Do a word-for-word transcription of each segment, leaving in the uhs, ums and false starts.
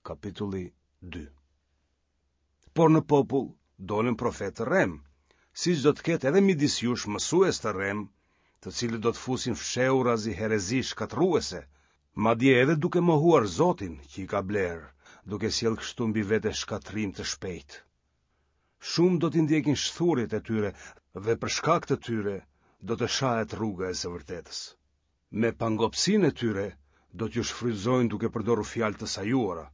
Kapitulli dy. Por në popull dolën profetë të rremë, siç do të ketë edhe midis jush mësues të rremë, të cilët do të fusin fshehurazi herezi shkatërruese, madje edhe duke mohuar Zotin që i ka blerë, duke sjellë kështu mbi vete shkatërrim të shpejtë. Shumë do t'i ndjekin shthurjet e tyre dhe për shkak të tyre do të shahet rruga e së vërtetës. Me pangopësinë e tyre do t'ju shfrytëzojnë duke përdorur fjalë të sajuara.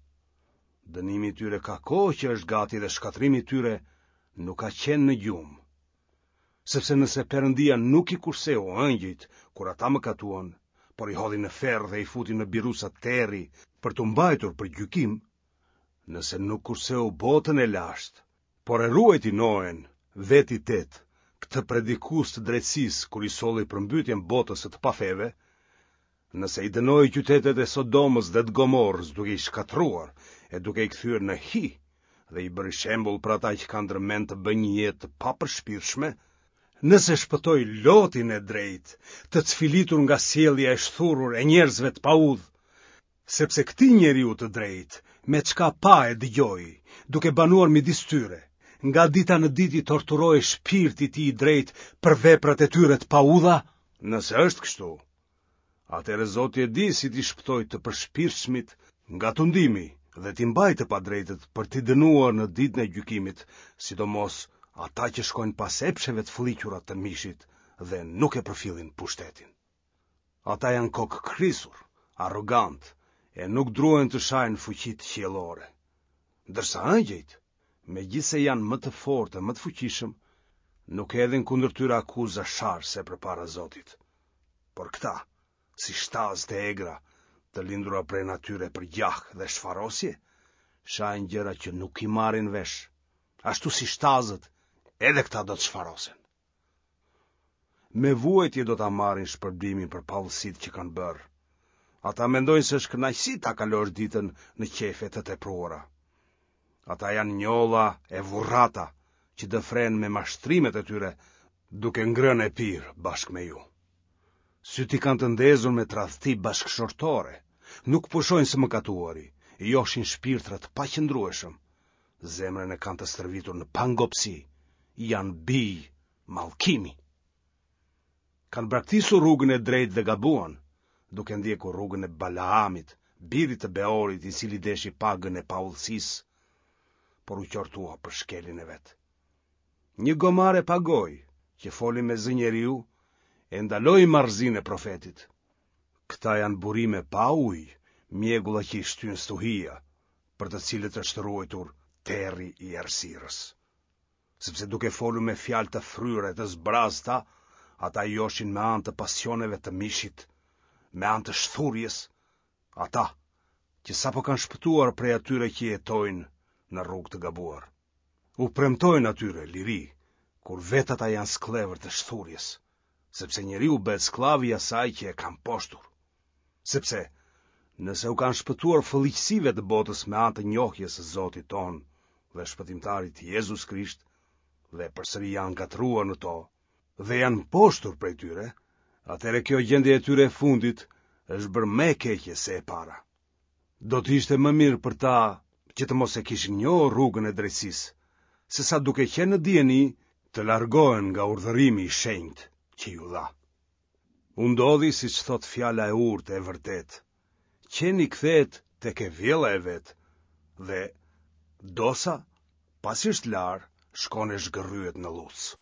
Dënimi i tyre ka kohë që është gati dhe shkatërrimi i tyre nuk ka qenë në gjumë. Sepse nëse Perëndia nuk i kurseu engjëjt kur ata mëkatuan, por i hodhi në ferr dhe i futi në biruca terri për t'u mbajtur për gjykim, nëse nuk kurseu botën e lashtë, por e ruajti Noen, vet i tetë, këtë predikues të drejtësisë kur i solli përmbytjen botës së të pafeve, nëse i dënoi qytetet e Sodomës dhe të Gomorrës duke i shkatërruar e duke i kthyer në hi dhe i bëri shembull për ata që kanë ndërmend të bëjnë një jetë të papërshpirtshme, nëse shpëtoi Lotin e drejtë, të cfilitur nga sjellja e shthurur e njerëzve të paudhë, sepse këtij njeriu të drejtë, me çka pa e dëgjoi, duke banuar midis tyre, nga dita në ditë i torturohej shpirti i tij i drejtë për veprat e tyre të paudha, nëse është kështu, atëherë Zoti e di si t'i shpëtojë të përshpirtshmit nga tundimi dhe t'i mbajë të padrejtët për t'i dënuar në ditën e gjykimit, sidomos ata që shkojnë pas epsheve të fëlliqura të mishit dhe nuk e përfillin pushtetin. Ata janë kokëkrisur, arrogantë, e nuk druhen të shajnë fuqitë qiellore. Ndërsa engjëjt, megjithëse janë më të fortë e më të fuqishëm, nuk hedhin kundër tyre akuza sharëse përpara Zotit. Por këta, si shtazë të egra, të lindura prej natyre për gjah dhe shfarosje, shajnë gjëra që nuk i marrin vesh. Ashtu si shtazët, edhe këta do të shfarosen. Me vuajtje do ta marrin shpërblimin për paudhësitë që kanë bërë. Ata mendojnë se është kënaqësi ta kalosh ditën në qejfe të tepruara. Ata janë njolla e vurrata që dëfren me mashtrimet e tyre, duke ngrënë e pirë bashkë me ju. Sytë i kanë të ndezur me tradhti bashkëshortore, nuk pushojnë së mëkatuari, joshin shpirtra të paqëndrueshëm, zemrën e kanë të stërvitur në pangopësi, janë bij mallkimi. Kanë braktisur rrugën e drejtë dhe gabuan, duke ndjekur rrugën e Balaamit, birit të Beorit, i cili deshi pagën e paudhësisë, por u qortua për shkeljen e vet. Një gomare pa gojë, që foli me zë njeriu, e ndaloi marrëzinë e profetit. Këta janë burime pa ujë, mjegulla që i shtyn stuhia, për të cilët është ruajtur terri i errësirës. Sepse duke folur me fjalë të fryra e të zbrazta, ata joshin me anë të pasioneve të mishit, me anë të shthurjes, ata që sapo kanë shpëtuar prej atyre që jetojnë në rrugë të gabuar. U premtojnë atyre liri, kur vetë ata janë skllevër të shthurjes, sepse njeriu bëhet skllav i asaj që e ka mposhtur. Sepse, nëse u kanë shpëtuar fëlliqësive të botës me anë të njohjes së Zotit tonë dhe shpëtimtarit Jezus Krisht, dhe përsëri janë ngatërruar në to, dhe janë mposhtur prej tyre, atëherë kjo gjendje e tyre e fundit është bërë më e keqe se e para. Do të ishte më mirë për ta që të mos e kishin njohur rrugën e drejtësisë, sesa duke qenë në dijeni të largohen nga urdhërimi i shenjtë që iu dha. U ndodhi siç thotë fjala e urtë e vërtetë, qeni kthehet tek e vjella e vet dhe dosa, pasi është larë, shkon e zhgërryhet në llucë.